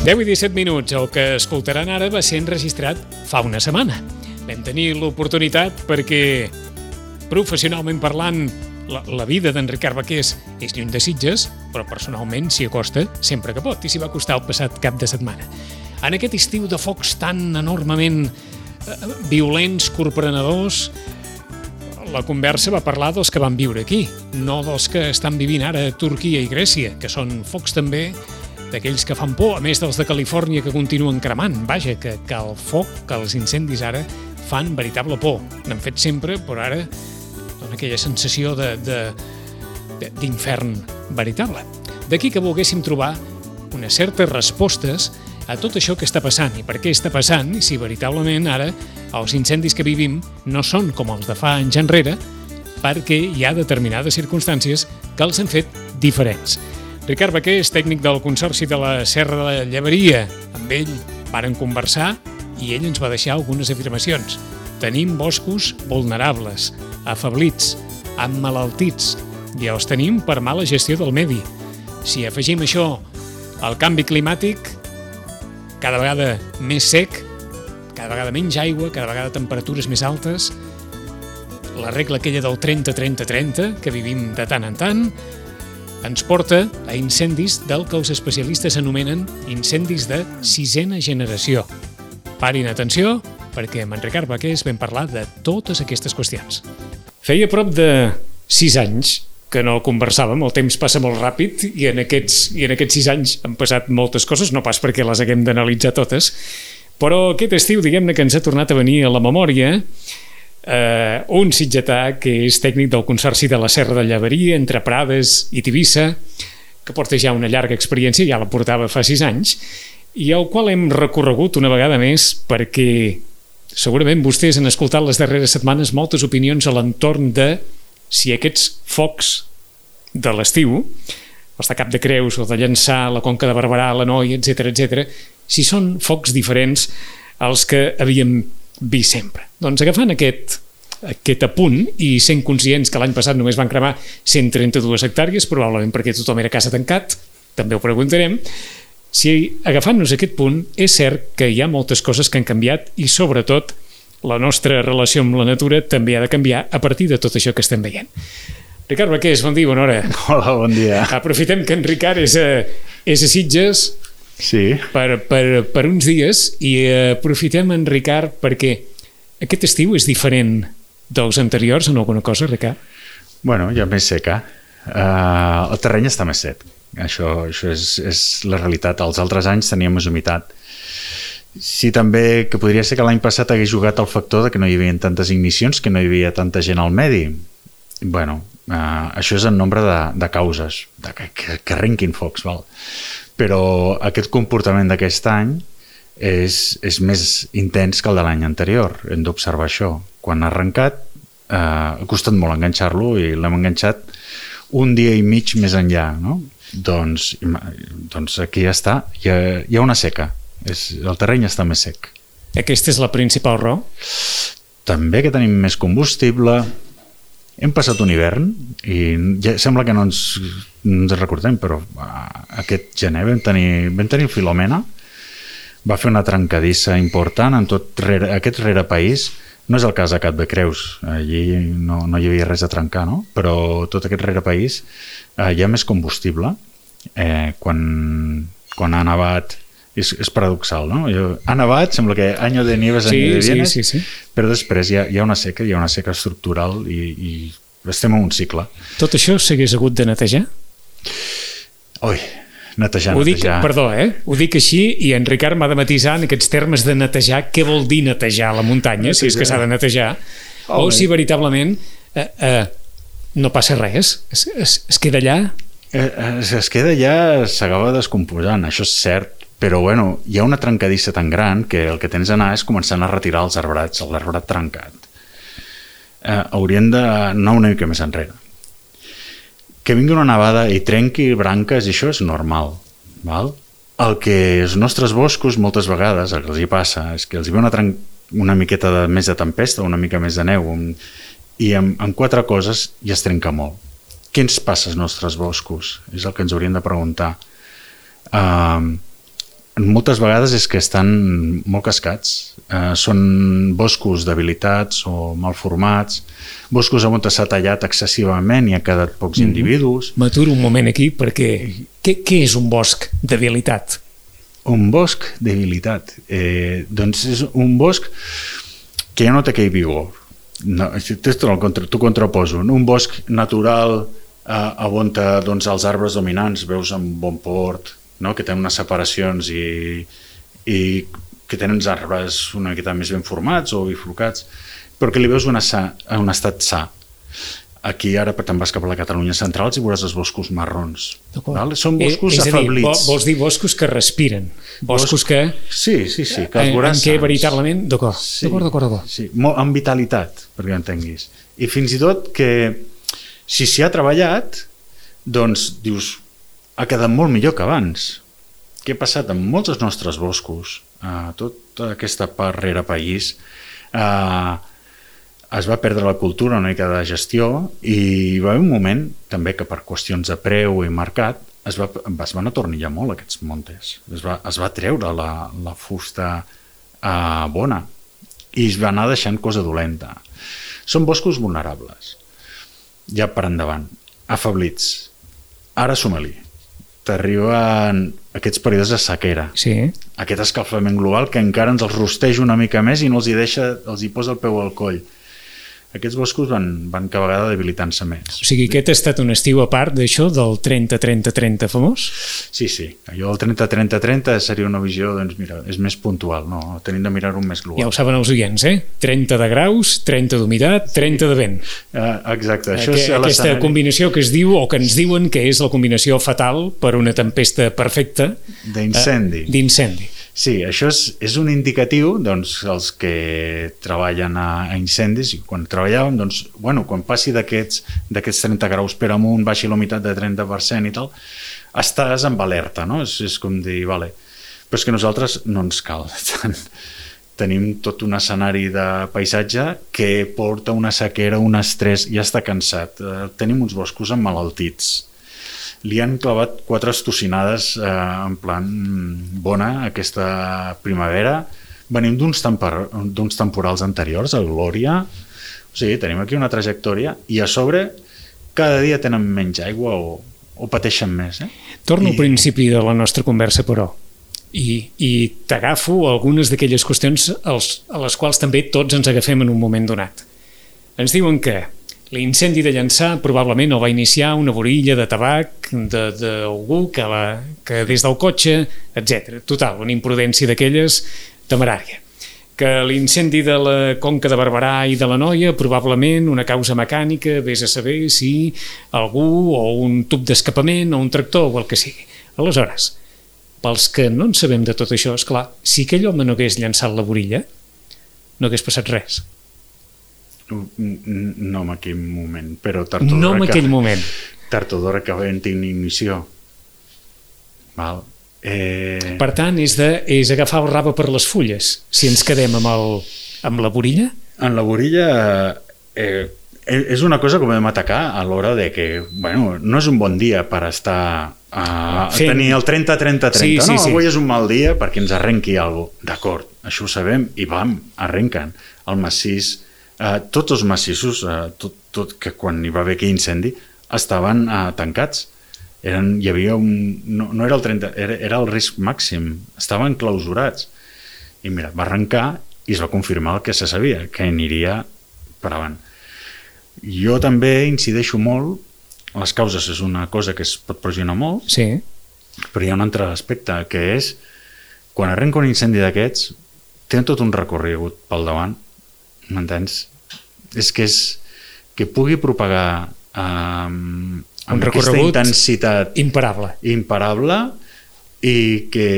10 i 17 minuts. El que escoltaran ara va ser enregistrat fa una setmana. Vam tenir l'oportunitat perquè, professionalment parlant, la vida d'en Ricard Baqués és lluny de Sitges, però personalment s'hi acosta sempre que pot, i s'hi va acostar el passat cap de setmana. En aquest estiu de focs tan enormement violents, corprenedors, la conversa va parlar dels que van viure aquí, no dels que estan vivint ara a Turquia i Grècia, que són focs també d'aquells que fan por, a més dels de Califòrnia que continuen cremant. Vaja, que el foc, que els incendis ara fan veritable por. N'han fet sempre, però ara dona aquella sensació d'infern veritable. D'aquí que volguéssim trobar unes certes respostes a tot això que està passant i per què està passant, i si veritablement ara els incendis que vivim no són com els de fa anys enrere, perquè hi ha determinades circumstàncies que els han fet diferents. Ricard Baqués, tècnic del Consorci de la Serra de la Lleberia. Amb ell varen conversar i ell ens va deixar algunes afirmacions. Tenim boscos vulnerables, afeblits, emmalaltits, i els tenim per mala gestió del medi. Si afegim això al canvi climàtic, cada vegada més sec, cada vegada menys aigua, cada vegada temperatures més altes, la regla aquella del 30-30-30, que vivim de tant en tant, ens porta a incendis del que els especialistes anomenen incendis de 6a generació. Parin atenció, perquè amb en Ricard Baqués vam parlar de totes aquestes qüestions. Feia prop de 6 anys que no conversàvem, el temps passa molt ràpid i en aquests 6 anys han passat moltes coses, no pas perquè les haguem d'analitzar totes, però aquest estiu, diguem-ne, que ens ha tornat a venir a la memòria un sitgetà que és tècnic del Consorci de la Serra de Lleberia entre Prades i Tivissa, que porta ja una llarga experiència, ja la portava fa 6 anys, i al qual hem recorregut una vegada més perquè segurament vostès han escoltat les darreres setmanes moltes opinions a l'entorn de si aquests focs de l'estiu, els de Cap de Creus o de Llançà, la Conca de Barberà, l'Anoia, etc., si són focs diferents als que havíem vist sempre. Doncs agafant aquest apunt i sent conscients que l'any passat només van cremar 132 hectàrees, probablement perquè tothom era a casa tancat, també ho preguntarem, si agafant-nos aquest punt és cert que hi ha moltes coses que han canviat i sobretot la nostra relació amb la natura també ha de canviar a partir de tot això que estem veient. Ricard Baqués, bon dia, bona hora. Hola, bon dia. Aprofitem que en Ricard és a Sitges per uns dies i aprofitem en Ricard perquè aquest estiu és diferent dels anteriors en alguna cosa, Ricard? Bueno, ja més seca. El terreny està més sec. Això és la realitat. Els altres anys teníem més humitat. Sí, també que podria ser que l'any passat hagués jugat el factor de que no hi havia tantes ignicions, que no hi havia tanta gent al medi. Bueno, això és en nombre de causes, que arrenquin focs, val? Però aquest comportament d'aquest any és més intens que el de l'any anterior. Hem d'observar això. Quan ha arrencat, ha costat molt enganxar-lo i l'hem enganxat un dia i mig més enllà, no? Doncs aquí ja està. Hi ha una seca. El terreny està més sec. Aquesta és la principal raó? També que tenim més combustible. Hem passat un hivern i ja sembla que no ens recordem, però aquest gener vam tenir Filomena, va fer una trencadissa important en tot aquest rerepaís. No és el cas de Cap de Creus, allí no hi havia res a trencar, no? Però tot aquest rerepaís hi ha més combustible. Quan ha nevat, és paradoxal, no? Ha nevat, sembla que año de nieves, año de vienes, sí. Però després hi ha una seca estructural i estem en un cicle. Tot això s'hagués hagut de netejar? Ui, netejar. Perdó, ho dic així i en Ricard m'ha de matisar en aquests termes de netejar. Què vol dir netejar la muntanya, si és que s'ha de netejar? O si veritablement no passa res, es queda allà? Es queda allà, s'acaba descomposant, això és cert. Però bueno, hi ha una trencadissa tan gran que el que tens d'anar és començant a retirar els arbrats, l'arbrat trencat. Haurien d'anar una mica més enrere. Que vingui una nevada i trenqui branques, i això és normal. Val? El que els nostres boscos moltes vegades el que els hi passa és que els hi ve una miqueta més de tempesta, una mica més de neu, i amb 4 coses ja es trenca molt. Què ens passa als nostres boscos? És el que ens hauríem de preguntar. moltes vegades és que estan molt cascats. Són boscos debilitats o mal formats, boscos on s'ha tallat excessivament i ha quedat pocs individus. M'aturo un moment aquí perquè què és un bosc debilitat? Un bosc debilitat. Doncs és un bosc que ja no té aquell vigor. No, t'ho contraposo. Un bosc natural on doncs, els arbres dominants veus amb bon port, no? Que tenen unes separacions i que tenen els arbres una miqueta més ben formats o bifurcats, però que li veus un estat sa. Aquí ara te'n vas cap a la Catalunya central i veuràs els boscos marrons. Són boscos afablits. Vols dir boscos que respiren? Boscos que... Sí, que els veuràs en què veritablement... D'acord. Sí, amb vitalitat, perquè ho entenguis. I fins i tot que si s'hi ha treballat, doncs dius, ha quedat molt millor que abans. Què ha passat amb molts dels nostres boscos? Tota aquesta part rere país es va perdre la cultura una mica de gestió i hi va haver un moment també que per qüestions de preu i mercat es van atornillar molt aquests montes. Es va treure la fusta bona i es va anar deixant cosa dolenta. Són boscos vulnerables. Ja per endavant. Afablits. Ara suma-li. T'arriben aquests períodes de sequera. Sí. Aquest escalfament global que encara ens els rosteja una mica més i no els hi posa el peu al coll. Aquests boscos van cada vegada debilitant-se més. O sigui, aquest ha estat un estiu a part d'això, del 30-30-30 famós? Sí. Allò del 30-30-30 seria una visió, doncs mira, és més puntual, no? Tenim de mirar-ho més global. Ja ho saben els oients, 30 de graus, 30 d'humitat, 30 de vent. Exacte. Aquesta combinació que es diu, o que ens diuen que és la combinació fatal per una tempesta perfecta. D'incendi. Sí, això és un indicatiu, doncs, els que treballen a incendis, i quan treballàvem, doncs, quan passi d'aquests 30 graus per amunt, baixi la humitat de 30% i tal, estàs amb alerta, no? És com dir, vale. Però és que nosaltres no ens cal tant. Tenim tot un escenari de paisatge que porta una sequera, un estrès, ja està cansat. Tenim uns boscos emmalaltits. Li han clavat 4 estocinades en plan bona aquesta primavera. Venim d'uns temporals anteriors, a Glòria. O sigui, tenim aquí una trajectòria i a sobre cada dia tenen menys aigua o pateixen més. Torno al principi de la nostra conversa, però, i t'agafo algunes d'aquelles qüestions a les quals també tots ens agafem en un moment donat. Ens diuen que l'incendi de Llançà probablement el va iniciar una borilla de tabac d'algú que des del cotxe, etc. Total, una imprudència d'aquelles temerària. Que l'incendi de la Conca de Barberà i de l'Anoia probablement una causa mecànica, vés a saber si algú o un tub d'escapament o un tractor o el que sigui. Aleshores, pels que no en sabem de tot això, esclar, si aquell home no hagués llançat la borilla, no hagués passat res. No en aquell moment, però no en aquell moment. Tard o d'hora que havent ignició. Val. Per tant, és agafar el rave per les fulles. Si ens quedem amb la borilla? En la borilla és una cosa que podem atacar a l'hora de que, no és un bon dia per estar a tenir el 30-30-30. Sí. Avui és un mal dia perquè ens arrenqui alguna cosa. D'acord, això ho sabem i arrenquen. El massís, tots els massissos, tot que quan hi va haver aquell incendi, estaven tancats. Hi havia no era el 30, era el risc màxim. Estaven clausurats. I mira, va arrencar i es va confirmar el que se sabia, que aniria per avant. Jo també incideixo molt, les causes és una cosa que es pot pressionar molt, sí. Però hi ha un altre aspecte, que és, quan arrenca un incendi d'aquests, tenen tot un recorregut pel davant, m'entens? És que pugui propagar amb aquesta intensitat imparable i que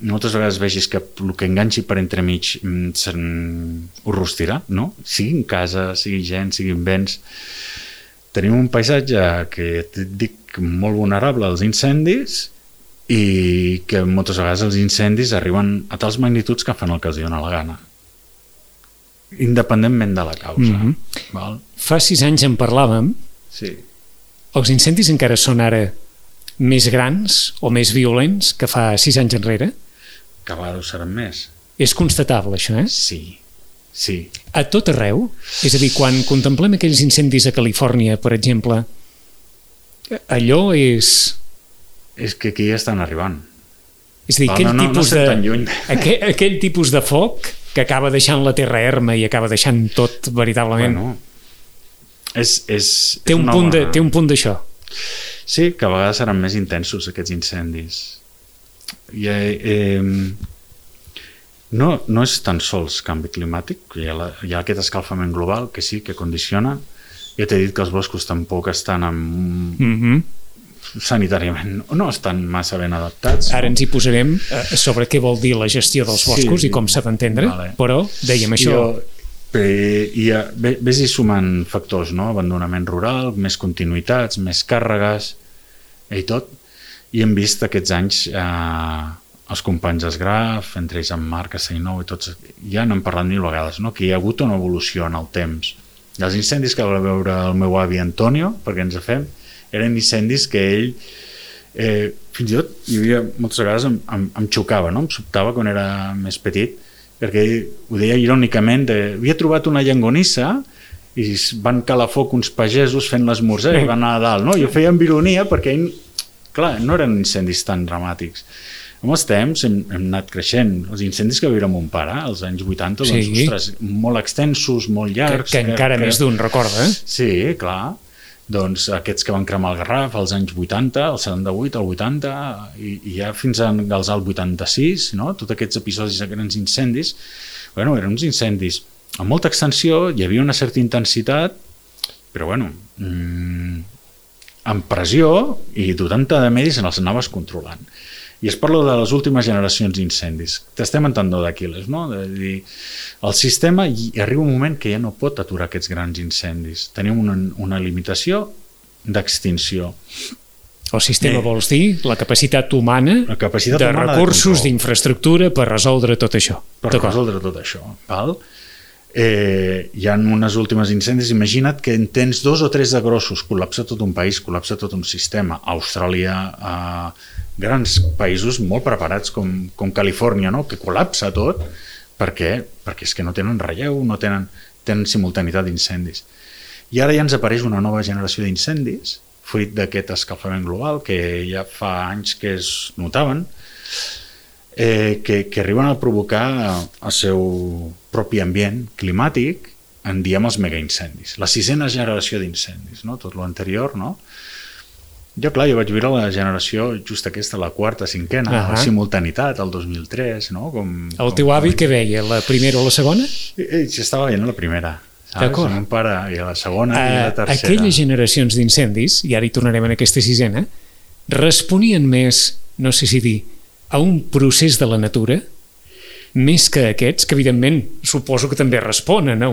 moltes vegades vegis que el que enganxi per entremig ho rostirà, no? Siguin casa, sigui gent, siguin béns. Tenim un paisatge que et dic molt vulnerable als incendis i que moltes vegades els incendis arriben a tals magnituds que fan el que els dona la gana, independentment de la causa. Val? Fa 6 anys en parlàvem. Sí. Els incendis encara són ara més grans o més violents que fa 6 anys enrere? a vegades ho seran més. És constatable, això, eh? Sí. A tot arreu? És a dir, quan contemplem aquells incendis a Califòrnia, per exemple, allò és... És que aquí ja estan arribant. És a dir, aquell tipus de foc que acaba deixant la terra erma i acaba deixant tot veritablement... Bueno, té un punt d'això. Sí, que a vegades seran més intensos aquests incendis. No és tan sols canvi climàtic, hi ha aquest escalfament global que sí, que condiciona. Ja t'he dit que els boscos tampoc estan sanitàriament, no estan massa ben adaptats. Ara ens hi posarem sobre què vol dir la gestió dels boscos i com s'ha d'entendre, però dèiem això. Ves-hi sumant factors, no? Abandonament rural, més continuïtats, més càrregues i tot. I hem vist aquests anys els companys d'Esgraf, entre ells en Marc, Castellnou i tots, ja n'hem parlat mil vegades, no? Que hi ha hagut una evolució en el temps. I els incendis que va veure el meu avi Antonio, perquè ens fem, eren incendis que ell fins i tot hi havia moltes vegades em xocava, no? Em sobtava quan era més petit, perquè ell ho deia irònicament, havia trobat una llangonissa i van calar foc uns pagesos fent l'esmorzar i van anar a dalt, no? I ho feia amb ironia perquè ell, clar, no eren incendis tan dramàtics. Amb els temps hem anat creixent. Els incendis que va viure mon pare als anys 80, doncs, ostres, molt extensos, molt llargs. Que encara més d'un recorda, eh? Sí, clar. Doncs aquests que van cremar el Garraf als anys 80, el 78, el 80, i ja fins als 86, no? Tots aquests episodis de grans incendis, bueno, eren uns incendis amb molta extensió, hi havia una certa intensitat, però bueno, amb pressió i dotant de medis en els anaves controlant. I es parla de les últimes generacions d'incendis. T'estem en tendó d'Aquil·les, no? De dir, el sistema arriba un moment que ja no pot aturar aquests grans incendis. Tenim una limitació d'extinció. El sistema vols dir la capacitat humana de recursos, d'infraestructura per resoldre tot això. Per resoldre tot això. Val? Hi ha unes últimes incendis, imagina't que en tens 2 o 3 de grossos, col·lapsa tot un país, col·lapsa tot un sistema. Austràlia, grans països molt preparats com Califòrnia, no? Que col·lapsa tot perquè és que no tenen relleu, no tenen simultanitat d'incendis. I ara ja ens apareix una nova generació d'incendis fruit d'aquest escalfament global que ja fa anys que es notaven, que arriben a provocar el seu propi ambient climàtic, en diem els megaincendis, la 6a generació d'incendis, no? Tot l'anterior, no? Jo vaig viure la generació just aquesta, la 4ª, 5a, la simultanitat, el 2003, no? El teu avi què veia, la primera o la segona? Ell estava veient la primera, saps? El meu pare, i la segona i la tercera. Aquelles generacions d'incendis, i ara hi tornarem en aquesta 6a, responien més, no sé si dir, a un procés de la natura, més que aquests, que evidentment suposo que també responen a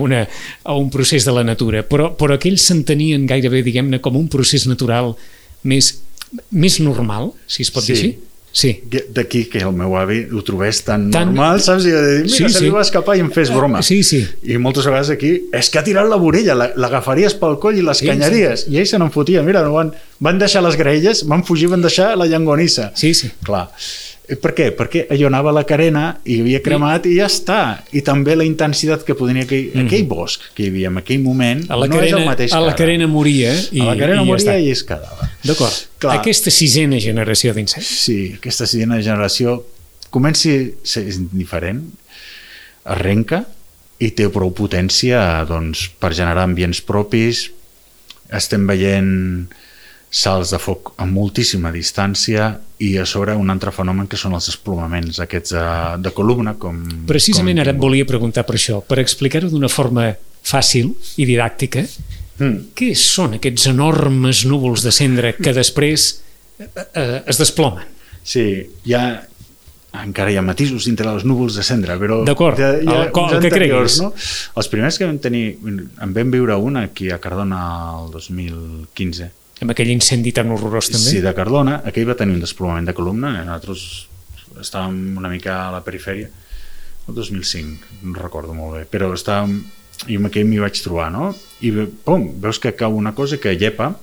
un procés de la natura, però aquells s'entenien gairebé, diguem-ne, com un procés natural més normal, si es pot dir així? Sí. D'aquí que el meu avi ho trobés tan normal, saps? I de dir, mira, se li va escapar i em fes broma. Sí. I moltes vegades aquí, és que ha tirat la vorella, l'agafaries pel coll i l'escanyaries. I ells se n'en fotien. Mira, van deixar les graelles, van fugir, van deixar la llangonissa. Sí. Clar. Per què? Perquè allò anava a la carena i havia cremat i ja està. I també la intensitat que podia aquell bosc que hi havia en aquell moment no és el mateix que ara. A la carena moria i i es quedava. D'acord. Aquesta 6a generació d'incendis. Sí, aquesta 6a generació comença a ser diferent, arrenca i té prou potència per generar ambients propis. Estem veient salts de foc a moltíssima distància i a sobre un altre fenomen que són els desplomaments aquests de columna. Precisament ara et volia preguntar per això, per explicar-ho d'una forma fàcil i didàctica. Què són aquests enormes núvols de cendra que després es desplomen? Sí, encara hi ha matisos dintre dels núvols de cendra, però d'acord, el que creguis, no? Els primers que vam tenir, en vam viure un aquí a Cardona el 2015, amb aquell incendi tan horrorós també? Sí, de Cardona, aquell va tenir un desplomament de columna, nosaltres estàvem una mica a la perifèria, el 2005, no recordo molt bé, però i amb aquell m'hi vaig trobar, no? I pum, veus que cau una cosa que llepa,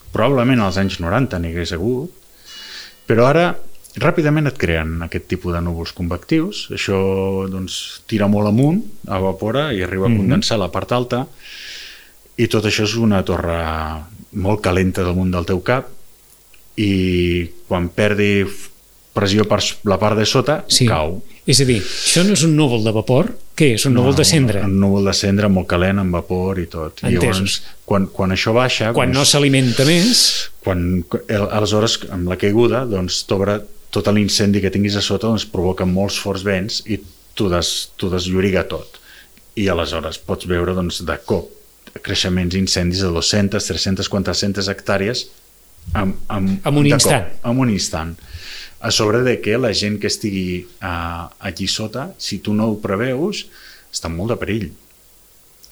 probablement als anys 90 n'hi hagués hagut, però ara ràpidament et creen aquest tipus de núvols convectius, això doncs, tira molt amunt, evapora i arriba a condensar la part alta, i tot això és una torre molt calenta damunt del teu cap, i quan perdi pressió per la part de sota, cau. És a dir, això no és un núvol de vapor? Què és? Un núvol de cendra? Un núvol de cendra molt calent, amb vapor i tot. I llavors, quan això baixa... Quan no s'alimenta més... Aleshores, amb la caiguda, doncs, t'obre tot l'incendi que tinguis a sota, doncs provoca molts forts vents i t'ho deslloriga tot. I aleshores pots veure, doncs, de cop creixements incendis de 200, 300, 400 hectàrees en un instant. En un instant. A sobre de que la gent que estigui allí sota, si tu no ho preveus, està en molt de perill.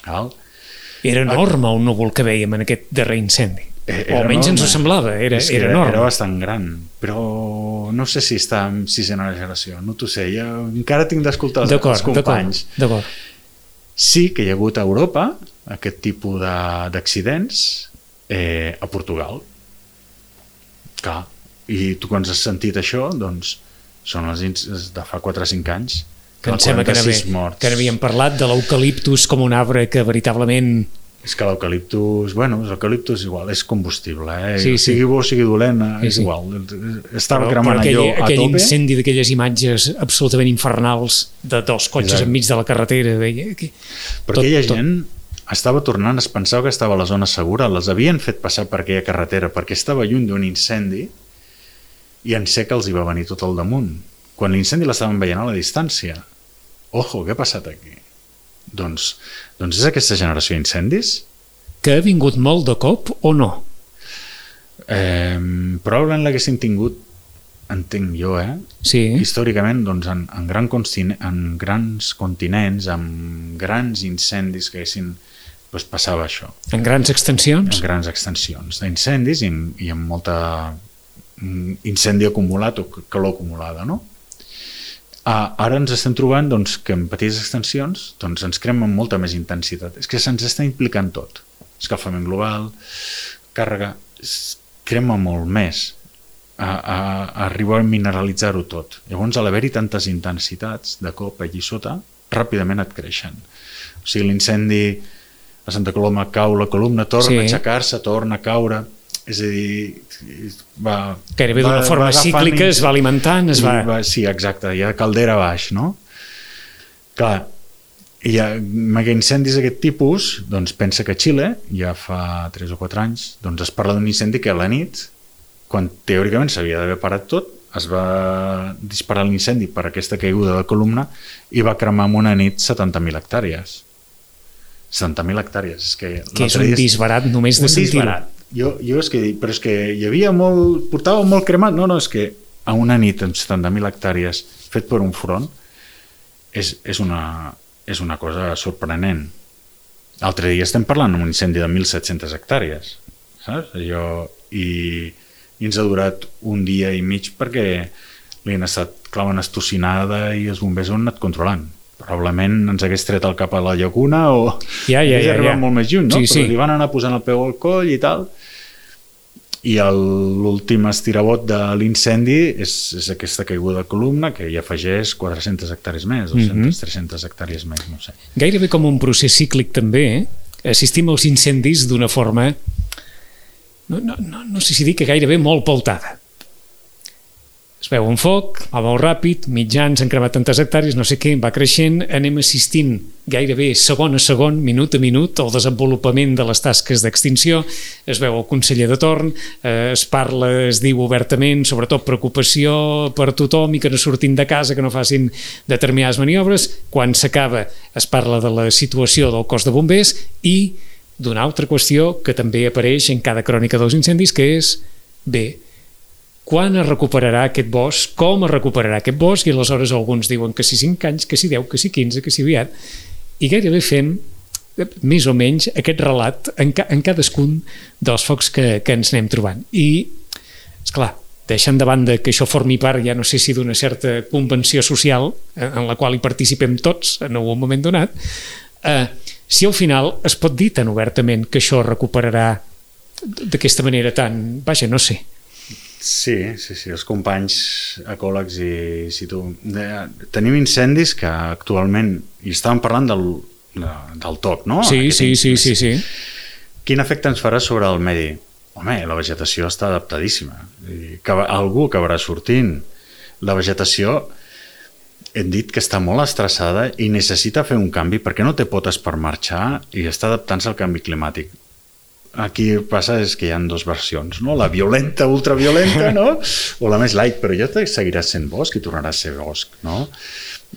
Era enorme el núvol que vèiem en aquest darrer incendi. O almenys ens ho semblava, era enorme. Era bastant gran, però no sé si està en sisena generació, no t'ho sé, jo encara tinc d'escoltar els companys. D'acord. Sí que hi ha hagut a Europa aquest tipus d'accidents a Portugal. Clar, i tu quan has sentit això, doncs són els de fa 4 o 5 anys. Que em sembla que n'havíem parlat de l'eucaliptus com un arbre que veritablement... És que l'eucaliptus, l'eucaliptus igual, és combustible, sigui bo o sigui dolent, és igual. Estava cremant allò a tope. Aquell incendi d'aquelles imatges absolutament infernals de 2 cotxes enmig de la carretera. Però aquella gent estava tornant, es pensava que estava a la zona segura, les havien fet passar per aquella carretera perquè estava lluny d'un incendi i en sec els hi va venir tot al damunt. Quan l'incendi l'estaven veient a la distància. Ojo, què ha passat aquí? Doncs és aquesta generació d'incendis? Que ha vingut molt de cop o no? Probablement l'haguessin tingut, entenc jo, Sí. Històricament, doncs, en grans continents, amb grans incendis que haguessin... Doncs passava això. En grans extensions? En grans extensions d'incendis i amb molta incendi acumulat o calor acumulada, no? Ara ens estem trobant doncs, que en petites extensions doncs, ens crema amb molta més intensitat. És que se'ns està implicant tot. Escalfament global, càrrega, crema molt més. Arribar a mineralitzar-ho tot. Llavors, a l'haver-hi tantes intensitats de cop allí sota, ràpidament et creixen. O sigui, l'incendi a Santa Coloma cau la columna, torna a aixecar-se, torna a caure, és a dir, gairebé d'una forma cíclica, es va alimentant, Sí, exacte, hi ha caldera baix, no? Clar, amb incendis d'aquest tipus, doncs pensa que a Xile, ja fa 3 o 4 anys, doncs es parla d'un incendi que a la nit, quan teòricament s'havia d'haver parat tot, es va disparar l'incendi per aquesta caiguda de columna i va cremar en una nit 70.000 hectàrees. 70.000 hectàrees. Que és un disbarat només de sentir-ho. Jo és que dic, però és que hi havia molt... Portava molt cremat. No, és que a una nit amb 70.000 hectàrees fet per un front és una cosa sorprenent. L'altre dia estem parlant d'un incendi de 1.700 hectàrees. Saps? I ens ha durat un dia i mig perquè li han estat clavant estocinada i els bombers ho han anat controlant. Probablement ens hagués tret el cap a la llacuna o hagués arribat molt més lluny, no? Però li van anar posant el peu al coll i tal. I l'últim estirabot de l'incendi és aquesta caiguda de columna que hi afegeix 400 hectàrees més, 200, 300 hectàrees més, no sé. Gairebé com un procés cíclic també, assistim als incendis d'una forma, no sé si dir que gairebé molt pautada. Es veu un foc, va molt ràpid, mitjans, han cremat tantes hectàrees, no sé què, va creixent, anem assistint gairebé segon a segon, minut a minut, al desenvolupament de les tasques d'extinció, es veu el conseller de torn, es parla, es diu obertament, sobretot preocupació per tothom i que no surtin de casa, que no facin determinades maniobres, quan s'acaba es parla de la situació del cos de bombers i d'una altra qüestió que també apareix en cada crònica dels incendis, que és, quan es recuperarà aquest bosc, com es recuperarà aquest bosc, i aleshores alguns diuen que si 5 anys, que si 10, que si 15, que si aviat, i gairebé fem més o menys aquest relat en cadascun dels focs que ens anem trobant. I, esclar, deixant de banda que això formi part, ja no sé si d'una certa convenció social en la qual hi participem tots en algun moment donat, si al final es pot dir tan obertament que això recuperarà d'aquesta manera tan... Vaja, no sé. Sí, els companys ecòlegs i tu. Tenim incendis que actualment, i estàvem parlant del TOC, no? Sí. Quin efecte ens farà sobre el medi? Home, la vegetació està adaptadíssima. Algú acabarà sortint. La vegetació, hem dit que està molt estressada i necessita fer un canvi perquè no té potes per marxar i està adaptant-se al canvi climàtic. Aquí el que passa és que hi ha dues versions, no? La violenta, ultraviolenta, no? O la més light, però ja seguiràs sent bosc i tornaràs a ser bosc, no?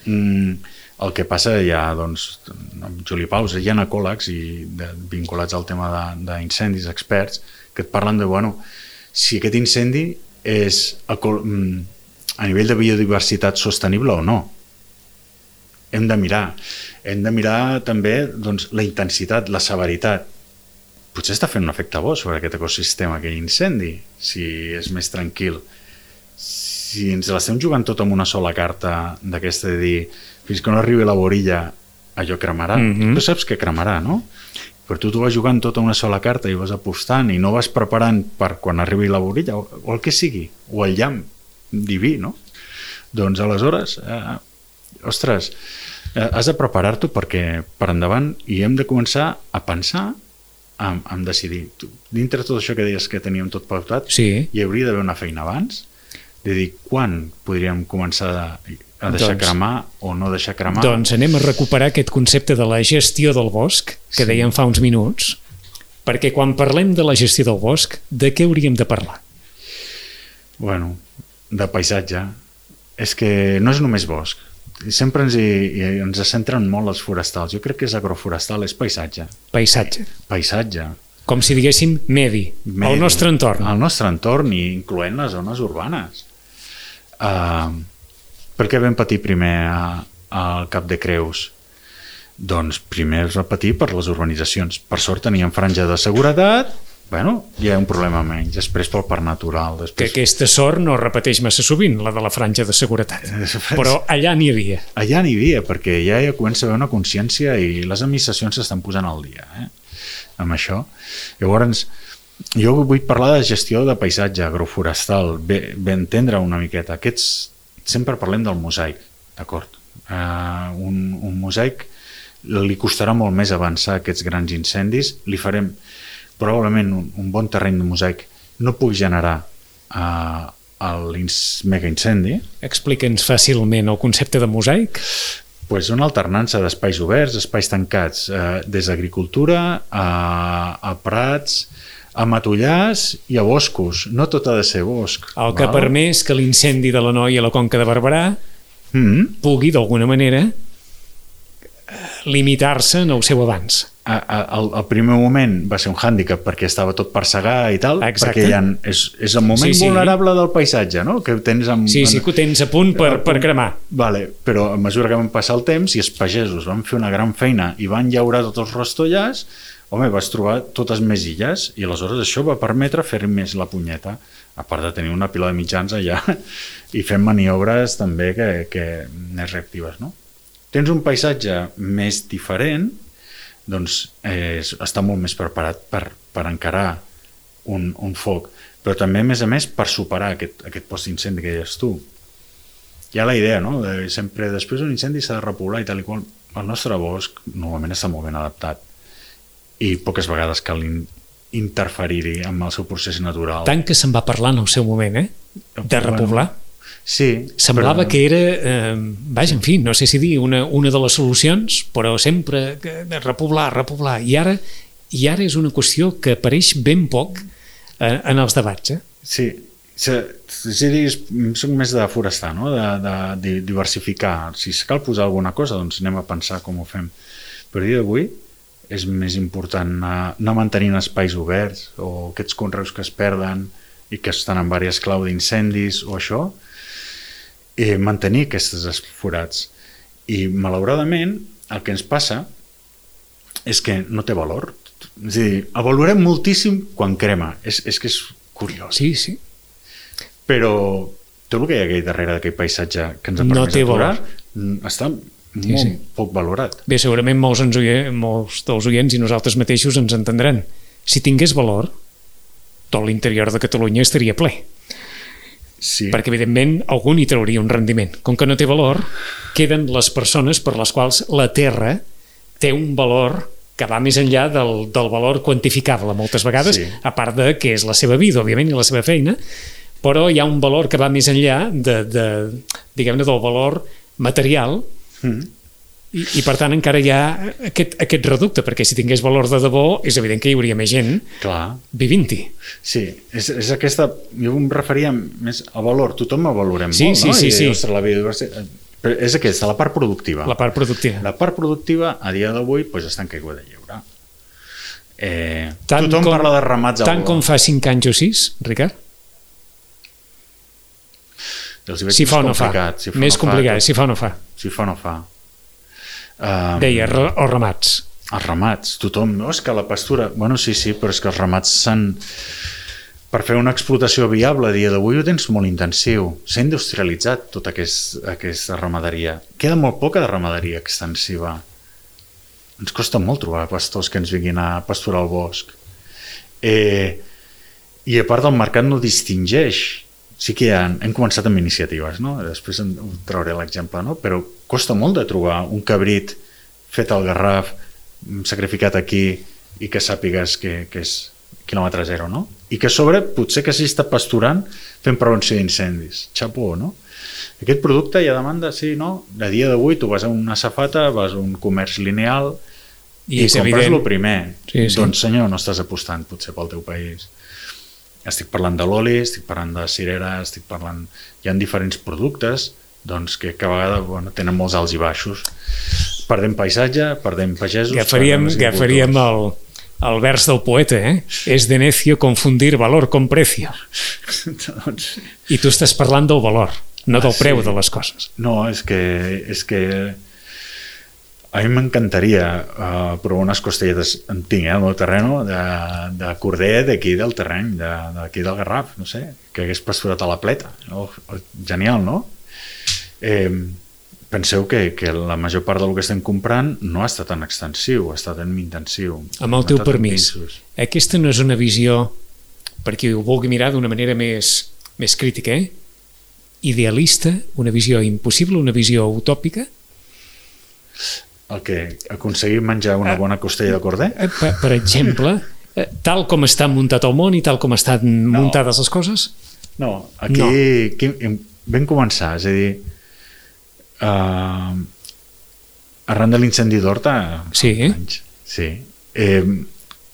El que passa ja, doncs, amb Juli Paus, hi ha ecòlegs vinculats al tema d'incendis, experts, que et parlen de, bueno, si aquest incendi és a nivell de biodiversitat sostenible o no. Hem de mirar també doncs, la intensitat, la severitat. Potser està fent un efecte bo sobre aquest ecosistema, aquell incendi, si és més tranquil. Si ens l'estem jugant tot amb una sola carta d'aquesta de dir fins que no arribi la borilla allò cremarà. Tu saps que cremarà, no? Però tu vas jugant tot a una sola carta i vas apostant i no vas preparant per quan arribi la borilla o el que sigui, o el llamp diví, no? Doncs aleshores, ostres, has de preparar-t'ho perquè per endavant i hem de començar a pensar en decidir. Dintre de tot això que deies que teníem tot pautat, hi hauria d'haver una feina abans de dir quan podríem començar a deixar cremar o no deixar cremar. Doncs anem a recuperar aquest concepte de la gestió del bosc que dèiem fa uns minuts, perquè quan parlem de la gestió del bosc, de què hauríem de parlar? Bueno, de paisatge. És que no és només bosc. Sempre ens centren molt els forestals. Jo crec que és agroforestal, és paisatge. Paisatge. Com si diguéssim medi, el nostre entorn. El nostre entorn, incloent les zones urbanes. Per què vam patir primer al Cap de Creus? Doncs primer es va patir per les urbanitzacions. Per sort teníem franja de seguretat, bueno, hi ha un problema menys. Després pel parc natural. Que aquesta sort no repeteix massa sovint, la de la franja de seguretat. Però allà n'hi havia. Allà n'hi havia, perquè ja comença a haver una consciència i les administracions s'estan posant al dia amb això. Llavors, jo vull parlar de gestió de paisatge agroforestal, ben entendre una miqueta. Sempre parlem del mosaic, d'acord? Un mosaic li costarà molt més avançar aquests grans incendis, li farem probablement un bon terreny de mosaic no pugui generar el megaincendi. Explica'ns fàcilment el concepte de mosaic. Pues una alternança d'espais oberts, espais tancats, des d'agricultura a prats, a matollars i a boscos. No tot ha de ser bosc. El que ha permès que l'incendi de l'Anoia a la Conca de Barberà pugui, d'alguna manera, limitar-se en el seu avanç. Al primer moment va ser un hàndicap perquè estava tot per segar i tal. Exacte. Perquè és el moment vulnerable del paisatge, no? Que tens que ho tens a punt per cremar. Vale, però a mesura que van passar el temps i els pagesos van fer una gran feina i van llaurar tots els rostollars, home, vas trobar totes més illes i aleshores això va permetre fer més la punyeta, a part de tenir una pila de mitjans allà i fent maniobres també que més reactives, no? Tens un paisatge més diferent, doncs està molt més preparat per encarar un foc, però també, a més, per superar aquest post-incendi que deies tu. Hi ha la idea, no? Sempre després d'un incendi s'ha de repoblar i tal i qual. El nostre bosc normalment està molt ben adaptat i poques vegades cal interferir-hi amb el seu procés natural. Tant que se'n va parlar en el seu moment, de repoblar. Sí. Semblava que era, vaja, en fi, no sé si dir una de les solucions, però sempre repoblar. I ara és una qüestió que apareix ben poc en els debats. Sí, soc més de forestar, no? De diversificar. Si cal posar alguna cosa, doncs anem a pensar com ho fem. Però a dia d'avui és més important anar mantenint espais oberts o aquests conreus que es perden i que estan en diverses claus d'incendis o això, mantenir aquests forats. I malauradament el que ens passa és que no té valor. És a dir, el valorem moltíssim quan crema. És que és curiós. Sí. Però tot el que hi ha aquí darrere d'aquell paisatge que ens ha permès aturar està molt poc valorat. Bé, segurament molts dels oients i nosaltres mateixos ens entendran. Si tingués valor, tot l'interior de Catalunya estaria ple. Sí. Perquè, evidentment, algú n'hi trauria un rendiment. Com que no té valor, queden les persones per les quals la terra té un valor que va més enllà del valor quantificable, moltes vegades, Sí. a part de que és la seva vida, òbviament, i la seva feina, però hi ha un valor que va més enllà diguem-ne, del valor material, i per tant encara hi ha aquest reducte, perquè si tingués valor de debò és evident que hi hauria més gent vivint-hi. Sí, és aquesta, jo em referia més al valor, tothom el valorem Sí, molt, sí, no? sí, sí. Ostres, la biodiversitat, però és aquesta, la part productiva. La part productiva. La part productiva, a dia d'avui, doncs està en caiguda lliure. Tothom parla de ramats al Tant com fa 5 anys o 6, Ricard? Si fa o no fa. Més complicat, si fa o no fa. Si fa o no fa. Deia, els ramats. Els ramats, tothom, no? És que la pastura... Bueno, sí, però és que els ramats s'han... Per fer una explotació viable a dia d'avui ho tens molt intensiu. S'ha industrialitzat tota aquesta ramaderia. Queda molt poca de ramaderia extensiva. Ens costa molt trobar pastors que ens vinguin a pasturar al bosc. I a part el mercat no distingeix. Sí que hem començat amb iniciatives, no? Després trauré l'exemple, no? Però costa molt de trobar un cabrit fet al Garraf, sacrificat aquí, i que sàpigues que és quilòmetre zero, no? I que a sobre potser que s'hi està pasturant fent prevenció d'incendis. Xapó, no? Aquest producte hi ha demanda, sí, no? A dia d'avui tu vas a una safata, vas a un comerç lineal i compres el primer. Sí. Doncs senyor, no estàs apostant potser pel teu país. Estic parlant de l'oli, estic parlant de cirera, hi ha diferents productes doncs, que a vegades tenen molts alts i baixos. Perdem paisatge, perdem pagesos... Agafaríem el vers del poeta, És de necio confundir valor con precio. I tu estàs parlant del valor, no del preu de les coses. No, és que a mi m'encantaria provar unes costelletes, en tinc al meu terreno, de corder d'aquí del terreny, d'aquí del Garraf, no sé, que hagués pasturat a la pleta. Genial, no? Penseu que la major part del que estem comprant no ha estat tan extensiu, ha estat tan intensiu. Amb el teu permís, aquesta no és una visió, per qui ho vulgui mirar d'una manera més crítica, idealista, una visió impossible, una visió utòpica? El que aconseguir menjar una bona costella de corder? Per exemple, tal com està muntat el món i tal com estan muntades les coses? No, aquí vam començar, és a dir, arran de l'incendi d'Horta,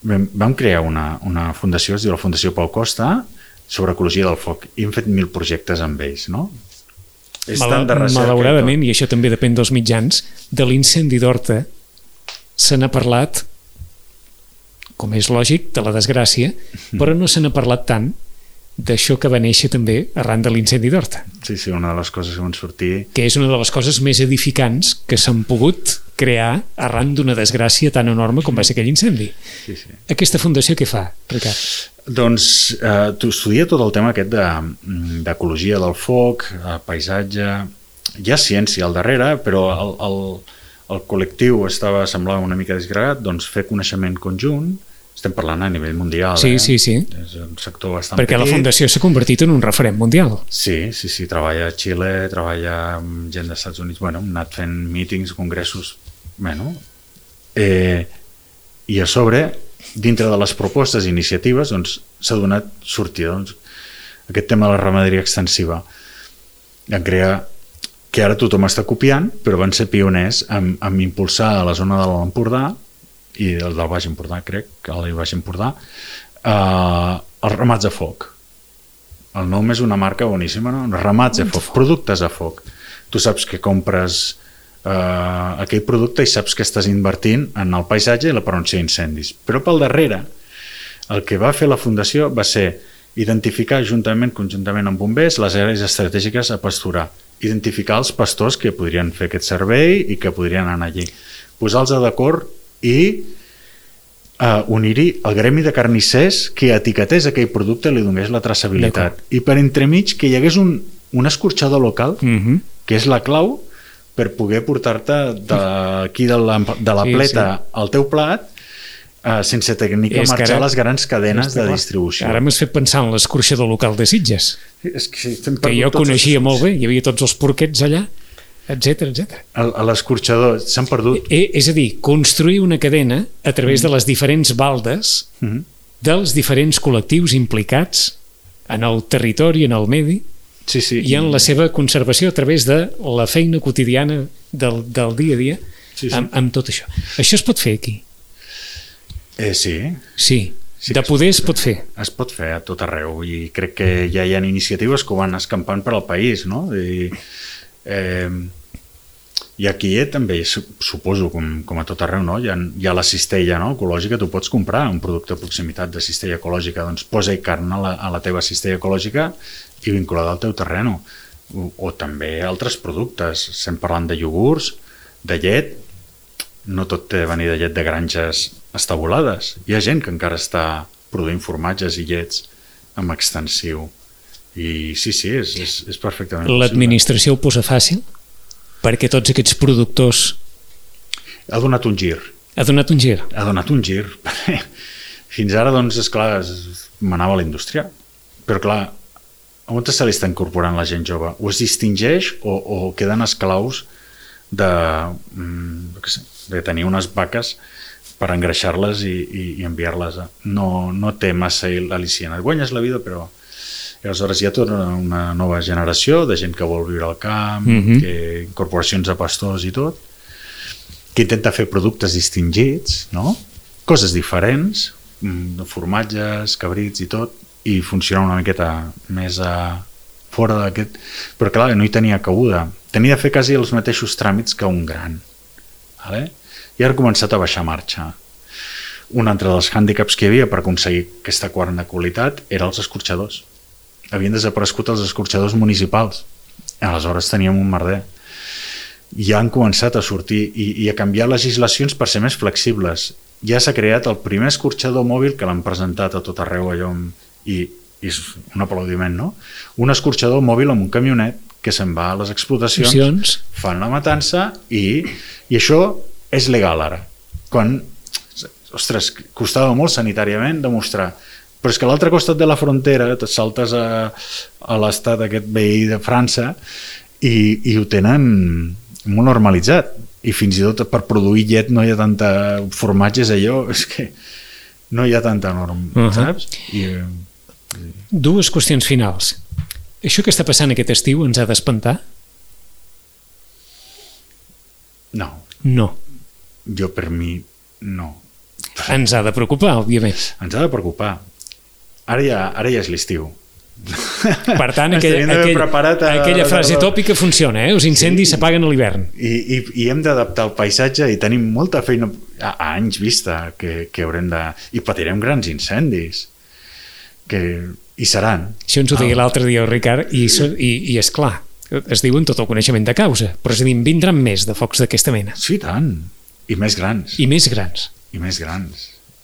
vam crear una fundació, es diu la Fundació Pau Costa, sobre ecologia del foc, i hem fet 1.000 projectes amb ells, no? Malauradament, i això també depèn dels mitjans, de l'incendi d'Horta se n'ha parlat, com és lògic, de la desgràcia, però no se n'ha parlat tant d'això que va néixer també arran de l'incendi d'Horta. Sí, una de les coses que van sortir... Que és una de les coses més edificants que s'han pogut crear arran d'una desgràcia tan enorme com va ser aquell incendi. Sí. Aquesta fundació què fa, Ricard? Doncs tu estudia tot el tema aquest d'ecologia del foc, paisatge... Hi ha ciència al darrere, però el col·lectiu semblava una mica desgregat, doncs fer coneixement conjunt. Estem parlant a nivell mundial. Sí. És un sector bastant perquè petit. La fundació s'ha convertit en un referent mundial. Sí. Treballa a Xile, treballa amb gent dels Estats Units. Hem anat fent mítings, congressos... I a sobre, dintre de les propostes i iniciatives, s'ha donat sortida. Aquest tema de la ramaderia extensiva. En crear que ara tothom està copiant, però van ser pioners en impulsar a la zona de l'Empordà i del Baix Empordà, crec, que al Baix Empordà, els ramats a foc. El nom és una marca boníssima, no? Ramats a foc, productes a foc. Tu saps que compres aquell producte i saps que estàs invertint en el paisatge i la prevenció d'incendis. Però pel darrere, el que va fer la Fundació va ser identificar conjuntament amb bombers les àrees estratègiques a pasturar, identificar els pastors que podrien fer aquest servei i que podrien anar allí, posar-los d'acord i unir-hi el gremi de carnissers que etiquetés aquell producte i li donés la traçabilitat. I per entremig que hi hagués un escorxador local, que és la clau per poder portar-te d'aquí de la pleta al teu plat sense tenir que marxar les grans cadenes de distribució. Ara m'has fet pensar en l'escorxador local de Sitges, És que jo coneixia molt bé, hi havia tots els porquets allà, etc. A l'escorxador s'han perdut. És a dir, construir una cadena a través de les diferents baldes dels diferents col·lectius implicats en el territori, en el medi, i en la seva conservació a través de la feina quotidiana del dia a dia, amb tot això. Això es pot fer aquí? Sí. De poder es pot fer. Es pot fer a tot arreu i crec que ja hi ha iniciatives que ho van escampant per al país, no? I aquí també suposo, com a tot arreu, no? Hi ha la cistella, no? Ecològica, tu pots comprar un producte de proximitat de cistella ecològica, doncs posa-hi carn a la teva cistella ecològica i vinculada al teu terreno. O també altres productes, estem parlant de iogurts, de llet, no tot té de venir de llet de granges estabulades. Hi ha gent que encara està produint formatges i llets amb extensiu. I sí, és perfectament possible. L'administració ho posa fàcil? Perquè tots aquests productors... Ha donat un gir. Ha donat un gir. Fins ara, doncs, esclar, manava la indústria. Però, clar, on se li està incorporant la gent jove? O es distingeix o queden esclaus de tenir unes vaques per engreixar-les i enviar-les. No té massa al·licient. Et guanyes la vida, però... I aleshores hi ha tota una nova generació de gent que vol viure al camp, incorporacions de pastors i tot, que intenta fer productes distingits, no? Coses diferents, formatges, cabrits i tot, i funciona una miqueta més fora d'aquest... Però clar, no hi tenia cabuda. Tenia de fer quasi els mateixos tràmits que un gran. Vale? I ara ha començat a baixar marxa. Un altre dels hàndicaps que hi havia per aconseguir aquesta carn de qualitat era els escorxadors. Havien desaparegut els escorxadors municipals. Aleshores teníem un merder. Ja han començat a sortir i a canviar legislacions per ser més flexibles. Ja s'ha creat el primer escorxador mòbil que l'han presentat a tot arreu allò i és un aplaudiment, no? Un escorxador mòbil amb un camionet que se'n va a les explotacions, fan la matança i això és legal ara. Quan, ostres, costava molt sanitàriament demostrar. Però és que a l'altre costat de la frontera te saltes a l'estat aquest veí de França i ho tenen molt normalitzat. I fins i tot per produir llet no hi ha tanta formatges allò, és que no hi ha tanta norma, saps? Dues qüestions finals. Això que està passant aquest estiu ens ha d'espantar? No. Jo per mi no. Ens ha de preocupar, òbviament. Ens ha de preocupar. Ara ja és l'estiu. Per tant, aquella frase tòpica funciona, els incendis s'apaguen a l'hivern. I hem d'adaptar el paisatge i tenim molta feina a anys vista que haurem de... I patirem grans incendis que hi seran. Això ens ho deia l'altre dia el Ricard i és clar, es diu en tot el coneixement de causa, però és a dir, en vindran més de focs d'aquesta mena. Sí, tant. I més grans.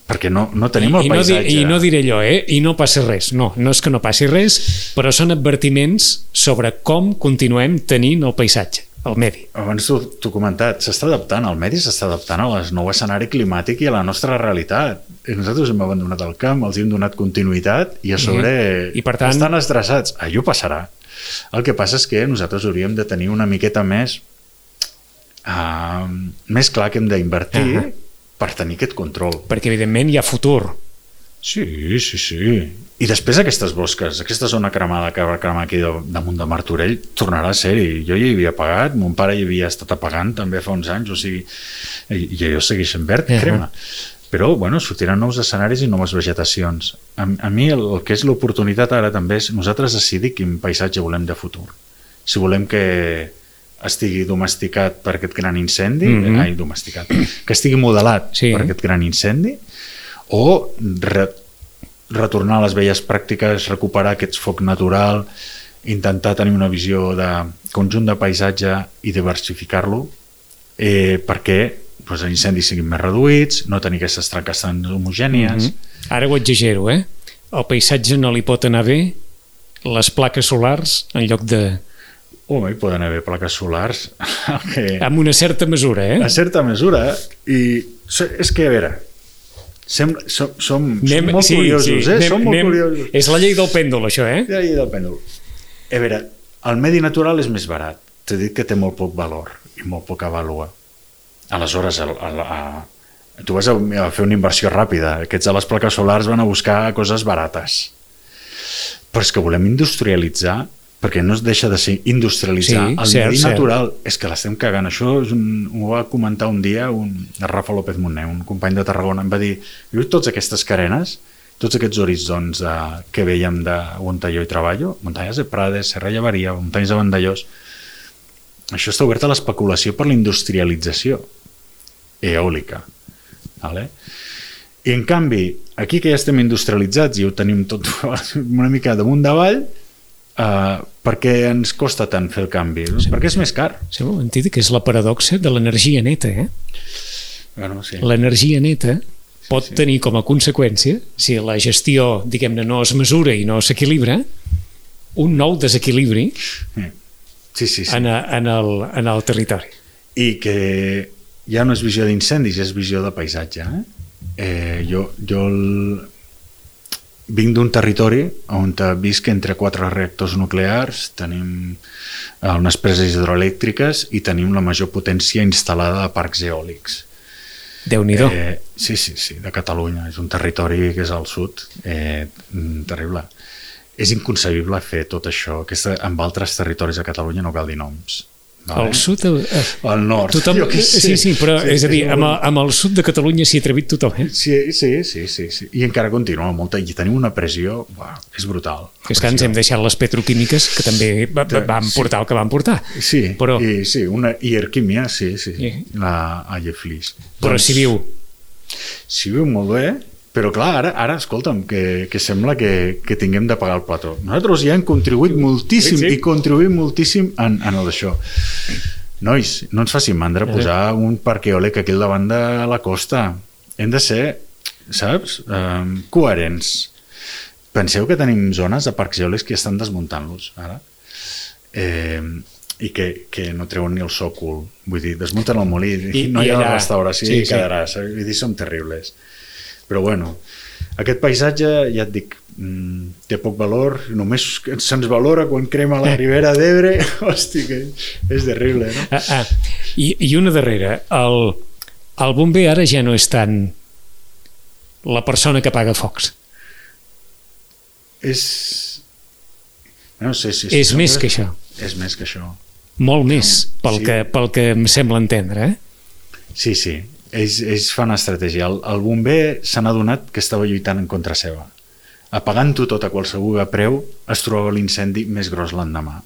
Perquè no tenim el paisatge. I no diré allò, i no passa res. No és que no passi res, però són advertiments sobre com continuem tenint el paisatge, el medi. Abans t'ho he comentat, s'està adaptant, el medi s'està adaptant al nou escenari climàtic i a la nostra realitat. I nosaltres hem abandonat el camp, els hem donat continuïtat i a sobre I per tant... estan estressats. Allò passarà. El que passa és que nosaltres hauríem de tenir una miqueta més clar que hem d'invertir per tenir aquest control. Perquè, evidentment, hi ha futur. Sí. I després aquestes bosques, aquesta zona cremada que va cremar aquí damunt de Martorell, tornarà a ser-hi. Jo hi havia pagat, mon pare hi havia estat apagant també fa uns anys, o sigui, i allò segueix en verd, crema. Però, sortiran nous escenaris i noves vegetacions. A mi el que és l'oportunitat ara també és nosaltres decidir quin paisatge volem de futur. Si volem que estigui domesticat per aquest gran incendi, que estigui modelat per aquest gran incendi, o retornar a les velles pràctiques, recuperar aquest foc natural, intentar tenir una visió de conjunt de paisatge i diversificar-lo perquè els incendis siguin més reduïts, no tenir aquestes traques tan homogènies. Ara ho exagero, el paisatge no li pot anar bé les plaques solars en lloc de... Hi poden haver plaques solars amb una certa mesura, A certa mesura. I és que, a veure, Som molt curiosos, Som molt curiosos. És la llei del pèndol, això, La llei del pèndol. A veure, el medi natural és més barat. T'he dit que té molt poc valor i molt poca vàlua. Aleshores, tu vas a fer una inversió ràpida. Aquests de les plaques solars van a buscar coses barates. Però és que volem industrialitzar, perquè no es deixa de ser industrialitzar el medi natural. És que l'estem cagant. Això ho va comentar un dia el Rafa López Montner, un company de Tarragona. Em va dir, tots aquestes carenes, tots aquests horitzons que veiem on jo hi treballo, muntanyes de Prades, Serra Llevaria, muntanyes de Vandellós, això està obert a l'especulació per la industrialització eòlica. Vale? I en canvi, aquí que ja estem industrialitzats i ho tenim tot una mica damunt davall, per què ens costa tant fer el canvi? Sí. Perquè és més car. Sí, hem dit que és la paradoxa de l'energia neta. Bueno, sí. L'energia neta pot tenir com a conseqüència, si la gestió, diguem-ne, no es mesura i no s'equilibra, un nou desequilibri en el territori. I que ja no és visió d'incendis, és visió de paisatge. Jo vinc d'un territori on visc entre 4 reactors nuclears, tenim unes preses hidroelèctriques i tenim la major potència instal·lada de parcs eòlics. Déu-n'hi-do. Sí, de Catalunya. És un territori que és al sud, terrible. És inconcebible fer tot això, amb altres territoris de Catalunya no cal dir noms. Al sud... Al nord. Sí, però és a dir, amb el sud de Catalunya s'hi ha atrevit tothom. Sí. I encara continua molta, i tenim una pressió, és brutal. És que ens hem deixat les petroquímiques, que també van portar el que van portar. Sí, una Ierquímia, la Alleflis. Però s'hi viu. S'hi viu molt bé, però clar, ara escolta'm, que sembla que tinguem de pagar el plató. Nosaltres ja hem contribuït moltíssim i contribuïm moltíssim en el d'això. Nois, no ens facin mandra posar un parc eòlic aquí al davant de la costa. Hem de ser, saps, coherents. Penseu que tenim zones de parcs eòlics que estan desmuntant-los ara. I que no treuen ni el sòcol. Vull dir, desmunten el molí i no hi ha restauració i quedarà. Vull dir, som terribles. Però bueno, aquest paisatge, ja et dic, té poc valor, només se'ns valora quan crema la Ribera d'Ebre. Hosti, que és terrible, no? I una darrera, el bomber ara ja no és tant la persona que apaga focs. No sé si és més que això. És més que això. Molt més, pel que em sembla entendre, Sí. Ells fan estratègia. El bomber se n'ha adonat que estava lluitant en contra seva. Apagant-ho tot a qualsevol preu, es trobava l'incendi més gros l'endemà.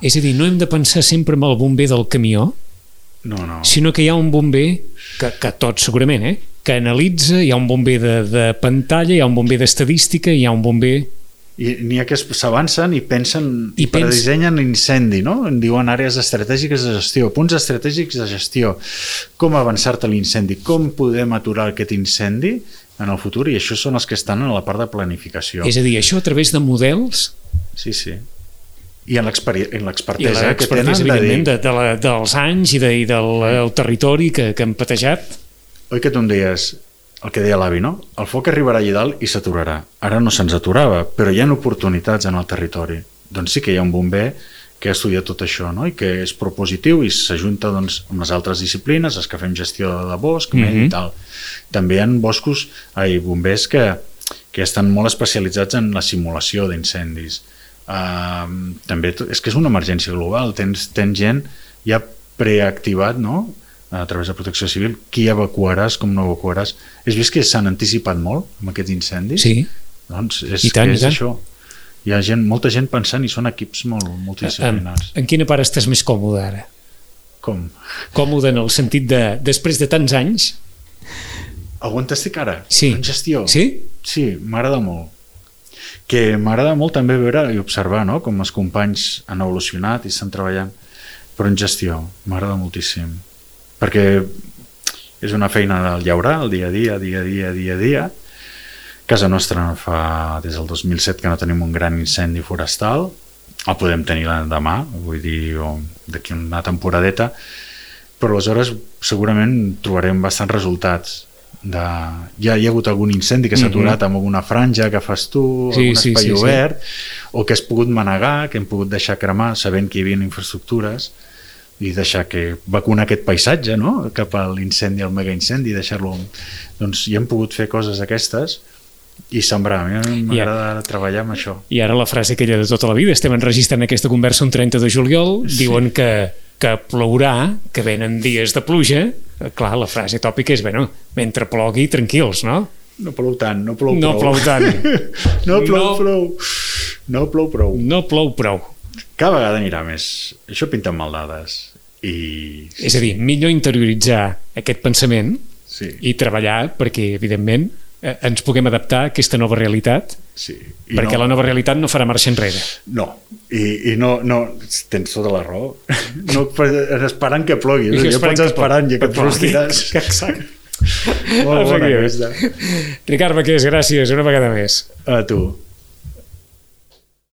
És a dir, no hem de pensar sempre en el bomber del camió, sinó que hi ha un bomber, que tots segurament, que analitza, hi ha un bomber de pantalla, hi ha un bomber d'estadística, hi ha un bomber... I n'hi ha que s'avancen i pensen i predissenyen l'incendi, no? En diuen àrees estratègiques de gestió, punts estratègics de gestió, com avançar-te a l'incendi, com podem aturar aquest incendi en el futur, i això són els que estan en la part de planificació. És a dir, això a través de models... Sí. I en l'expertesa que tenen evidentment, dels anys i del territori que han patejat. Oi que tu em deies... El que deia l'avi, no? El foc arribarà allà dalt i s'aturarà. Ara no se'ns aturava, però hi ha oportunitats en el territori. Doncs sí que hi ha un bomber que ha estudiat tot això, no? I que és propositiu i s'ajunta amb les altres disciplines, els que fem gestió de bosc, i tal. També hi ha bombers que estan molt especialitzats en la simulació d'incendis. També és que és una emergència global. Tens gent ja preactivat, no?, a través de protecció civil, qui evacuaràs, com no evacuaràs. Has vist que s'han anticipat molt amb aquests incendis? Sí. Doncs és això. Hi ha molta gent pensant i són equips molt multidisciplinars. En quina part estàs més còmode ara? Com? Còmode en el sentit de, després de tants anys... On estic ara? Sí. En gestió? Sí? Sí, m'agrada molt. Que m'agrada molt també veure i observar, no?, com els companys han evolucionat i estan treballant, però en gestió m'agrada moltíssim. Perquè és una feina del llaurar, el dia a dia. Casa nostra fa des del 2007 que no tenim un gran incendi forestal, el podem tenir demà, vull dir, d'aquí una temporadeta, però aleshores segurament trobarem bastants resultats. hi ha hagut algun incendi que s'ha aturat amb alguna franja que fas tu, algun espai obert, o que has pogut manegar, que hem pogut deixar cremar sabent que hi havia infraestructures i deixar que vacunar aquest paisatge, no? Cap a l'incendi, al megaincendi, deixar-lo... Doncs hi hem pogut fer coses aquestes i sembrar. A mi m'agrada treballar amb això. I ara la frase aquella de tota la vida, estem enregistrant aquesta conversa un 30 de juliol, diuen que plourà, que venen dies de pluja. Clar, la frase tòpica és, bueno, mentre plogui, tranquils, no? No plou tant, no plou prou. No plou tant. No plou prou. No plou prou. No plou prou. Cada vegada anirà més. Això pinta amb maldades. És a dir, millor interioritzar aquest pensament i treballar perquè, evidentment, ens puguem adaptar a aquesta nova realitat, perquè la nova realitat no farà marxa enrere. No, i no tens tota la raó. No esperant que plogui, ja pots esperant i que et frustiràs. Exacte. Molt bona aquesta. Ricard Baqués, gràcies una vegada més. A tu.